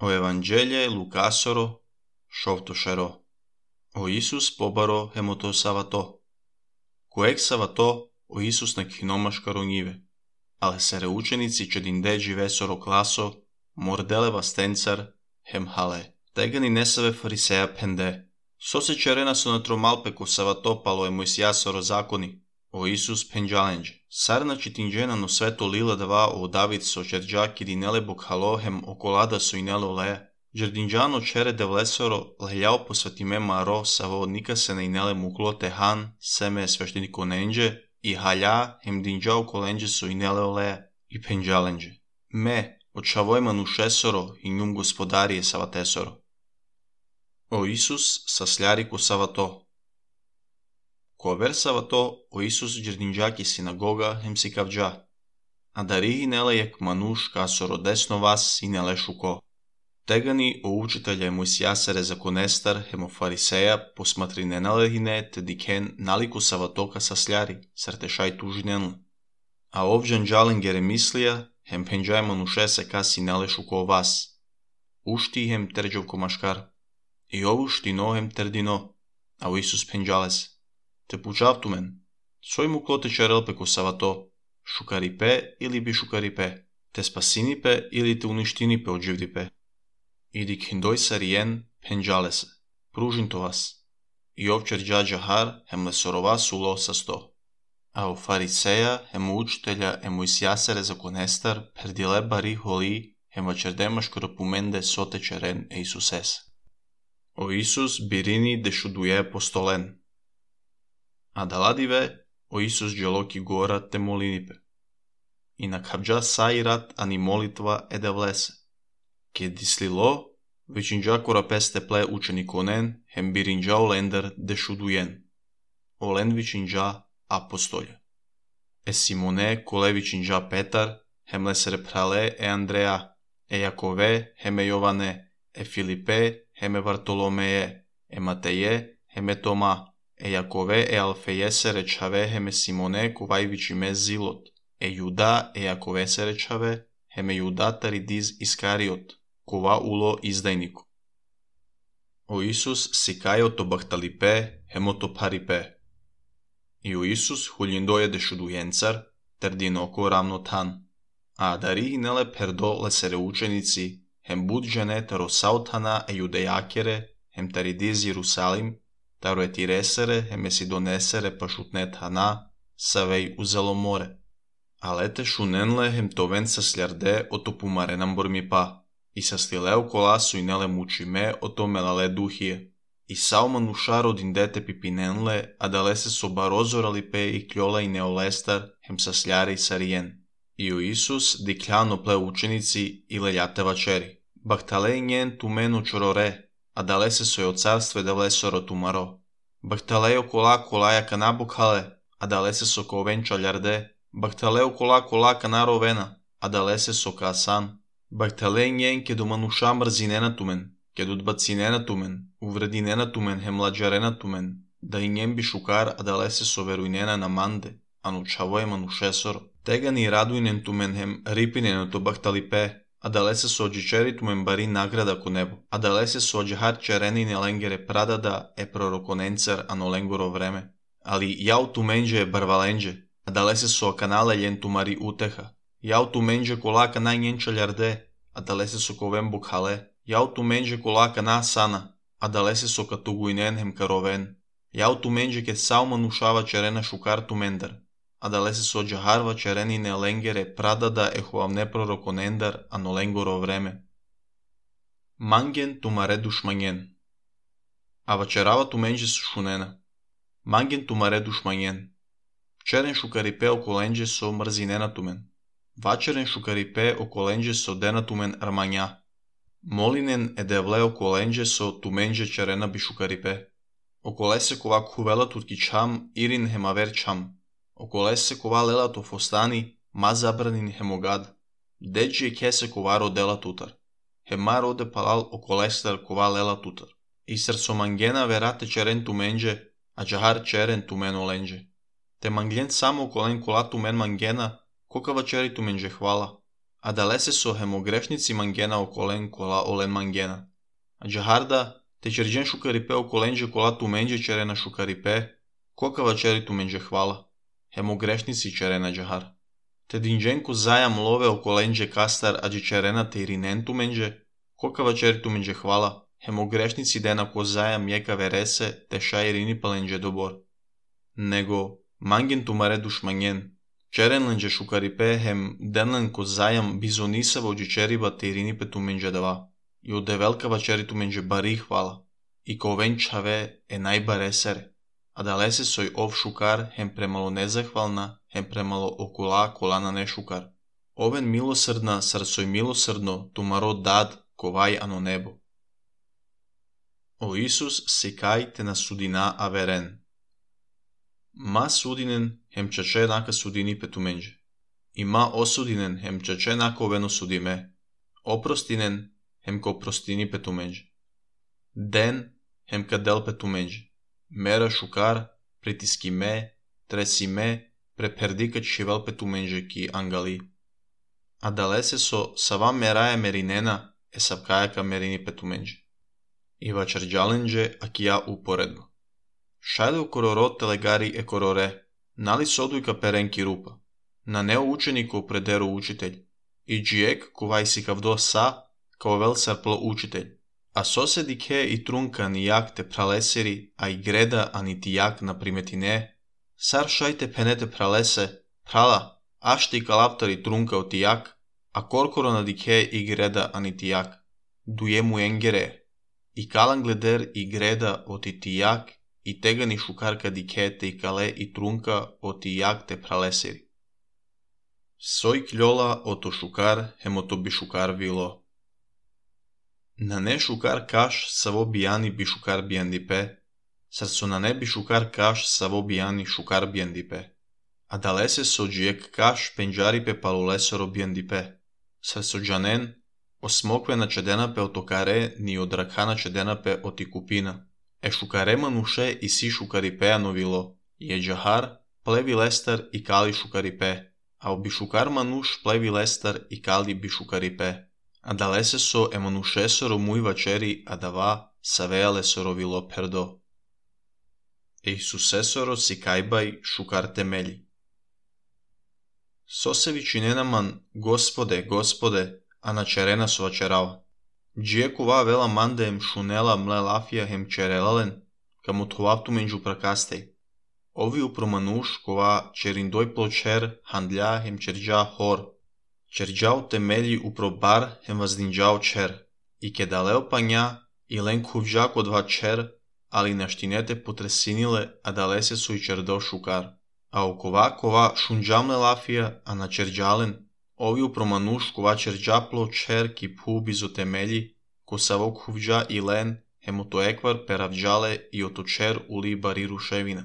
O Evanghelie Lucasoro, Шовтошеро. O Isus побаро хемото Савато. Коек Савато o Isus на киномашкаро ниве. Але сере ученици чединде живесоро класо, морделева стенцар, хемхале. Тегани несаве фарисея пенде. Сосе черена со натромал пеко Савато пало Моисијасоро закони. O Isus penđalenđe. Sarna čitинđena no sveto lila dava o David so čerđaki dinele bokhalo hem okolada so inelo le. Đerdinđano čere devlesoro leljao posvetime maro savo nikasene inele muklo tehan seme svešteniko nenđe i halja hem dinđao kolenđe so inele le i penđalenđe. Me, očavojma nušesoro i njum gospodarije savatesoro. O Isus sasljari ko savato. Ko Савато, o Isus джердинđaki sinagoga hem si kavđa. A darihi nelejek manuš kasoro desno vas sinele šuko. Tegani o učitelja Moisijasere zakonestar hemo fariseja posmatri nenalehine te diken naliku Savatoka sasljari, srtešaj tužinenle. A ovđan džalengere mislija hem penđaj manušese ka sinele šuko vas. Ušti hem terđovko maškar. I ovušti nohem terdino, a o Isus penđales. Te pučavtumen, soj mu klote čerel peko Savato, šukaripe ili bi šukaripe, te spasinipe ili te uništinipe od živdipe. Idi kindoj sarijen penđale se, pružin to vas. I ovčer džađahar hem lesorova sulo sa sto. A o fariseja hem učitelja hem Moisijasere zakonestar perdile bari holi hem vačerdemaš korpumende sote čeren e Isuses. O Isus birini dešuduje postolen. A daladive o Isus dželoki gora te molinipe. I na kavđa sajirat ani molitva edavlese. Ke dislilo, većinđa kora peste ple učenikonen, hem birinđa olender dešudujen. Olen vičinđa apostolja. E Simone kole vičinđa Petar, hem lesere prale e Andrea, e Jakove, heme Jovane, e Filipe, heme Vartolomeje, e Mateje, heme Toma, e Jakove e Alfeje rečave heme Simone kovajvići me zilot, e Juda e Jakove rečave heme Juda taridiz Iskariot, kova ulo izdajniku. O Isus sikajo to bahtalipe hemo to paripe. I o Isus huljendoje dešudujencar, terdinoko ravnotan. A dari nele perdo lesere učenici, hem budžene taro sautana e judejakere, hem taridiz Jerusalim, taro eti resere, heme si donesere pašutnet hana, savej uzelo more. Alete šunenle hem to ven sa sljarde o to pumarenam bormi pa, i sa stileo kolasu i nele mučime o to melale duhije. I sauman ušaro dindete pipinenle, a dale se so barozorali pe i kljola i neolestar, hem sa sljari sarijen. I o Isus dikljano ple učenici i leljate vačeri. Bahtale njen tumenu čorore, a dale se soj od carstve da vlesoro tumaro. Bahtalejo kola kanabokhale, a dale se so ko venča ljarde. Bahtalejo kola kanaro vena, a dale se so ka san. Bahtale njen ke do manuša mrzinena tumen, ke do dbacinena tumen, uvredinena tumen hem lađarena tumen, da i njen bi šukar, a dale se so verujnena na mande, anu čavoje manušesoro. Tega ni radujnen tumen hem ripineno to bahtalipe, a dale se sođi čeritumen bari nagrada ko nebo, a dale se sođi har čerenine lengere pradada e prorokonencar ano lengoro vreme, ali jau tu menđe barvalenđe, a dale se so kanale ljen tu mari uteha, jau tu menđe kolaka najnjenča ljarde, a dale se so kovem bukhale, jau tu menđe kolaka na sana, a dale se so katugujnen hem karoven, jau tu menđe ket sauman ušava čerena šukar tu mendar, a dale se so džaharva čerenine lengere pradada e huav neprorokonendar ano lengoro vreme. Mangen tu mare dušmanjen. A vačerava tu menđe su šunena. Mangen tu mare dušmanjen. Čeren šukaripe okolenđe so mrzinena tumen. Vačeren šukaripe okolenđe so dena tumen armanja. Molinen edevle okolenđe so tumenđe čerena bi šukaripe. Okolese kovak huvela tutki čam irin hemaver čam. Okolese kova lela to fostani, ma zabranin hemogad. Deđi je kese kova rodela tutar. Hema rode palal okolestar kova lela tutar. I srco mangena verate čeren tu menđe, a džahar čeren tu men olenđe. Te mangljen samo okolen kola tu men mangena, kokava čeri tu menđe hvala. a dalese so hemogrešnici mangena okolen kola olen mangena. A jaharda, te čerđen šukaripe okolenđe kola tumenđe čerena šukaripe, kokava čeri tumenđe hvala, hemogrešnici čerena jahar. Te dinđenku zajam love okolenđe kastar ađe čerena te irinen tumenđe, kokava čeri tumenđe hvala, hemogrešnici dena ko zajam jeka verese te šairini palenđe dobor. Nego, mangen tumare dušmangen, čerenlenđe šukaripe hem denlen ko zajam bizonisava ođe čeriba te irini pe tumenđe dava, i ode velkava čeri tumenđe bari hvala, i ko venčave e najbaresere, a dalese soj ov šukar hem premalo nezahvalna, hem premalo okula kolana ne šukar. Oven milosrdna sar soj milosrdno tumaro dad kovaj ano nebo. O Isus sikaj te na sudina averen. Ma sudinen hem čače naka sudini pe tumenđe. I ma osudinen hem čače naka oveno sudime. Oprostinen hem ko prostini pe tumenđe. Den hem kadel pe tumenđe. Mera šukar pritiski me, tresi me, preperdika čivel pe tumenđe ki angali. A dalese so sava meraja merinena e sapkajaka merini pe tumenđe. I vačarđalenđe akija uporedno. Šajde u kororo telegari e korore, nali sodujka perenki rupa, na neo učeniku prederu učitelj, i džijek kuvaj si kavdo sa, kao vel sarplo učitelj, a sosedi ke i trunka ni jak te praleseri, a i greda ani ti jak na primetine, sar šajte penete pralese, prala, ašti kalaptari trunka o ti jak, a korkoro na dike i greda ani ti jak, duje mu engere, i kalan gleder i greda o ti jak, i tegani šukarka dikete i kale i trunka o ti jak te praleseri. Soj kljola oto šukar hemoto bi šukar vilo. Na ne šukar kaš savo bijani bi šukar bijandipe, sar so na ne bi šukar kaš savo bijani šukar bijandipe, a dalese so džijek kaš penđaripe palulesoro bijandipe, sar so džanen osmokve na čedena pe otokare ni odrakana čedena pe oti kupina. E šukare manuše i si šukaripe anovilo, je džahar, plevi lestar i kali šukaripe, a obi šukar manuš plevi lestar i kali bi šukaripe, a dalese so e manuše soro muj vačeri a dava savejale soro vilo perdo. E Isuse soro si kajbaj šukar temelji. Sosevi činenaman, gospode, gospode, a na čerena so vačerava. Džijekuva vela mande hem šunela mle lafija hem čerelalen, kam othovavtu menđu prakastej. Ovi upromanuš kova čerindoj pločer handlja hem čerđa hor. Čerđao temelji uprobar hem vazdinđao čer. I kedaleo panja i len kuvđa kod dva čer, ali naštinete potresinile, a dalese su i čerdo šukar. A okova kova šunđamle lafija, a na čerđalen, ovi upromanuš kova čerđaplo čer ki pubizo temelji, ko savok huvđa i len, hem oto ekvar peravđale i oto čer uli bari ruševina.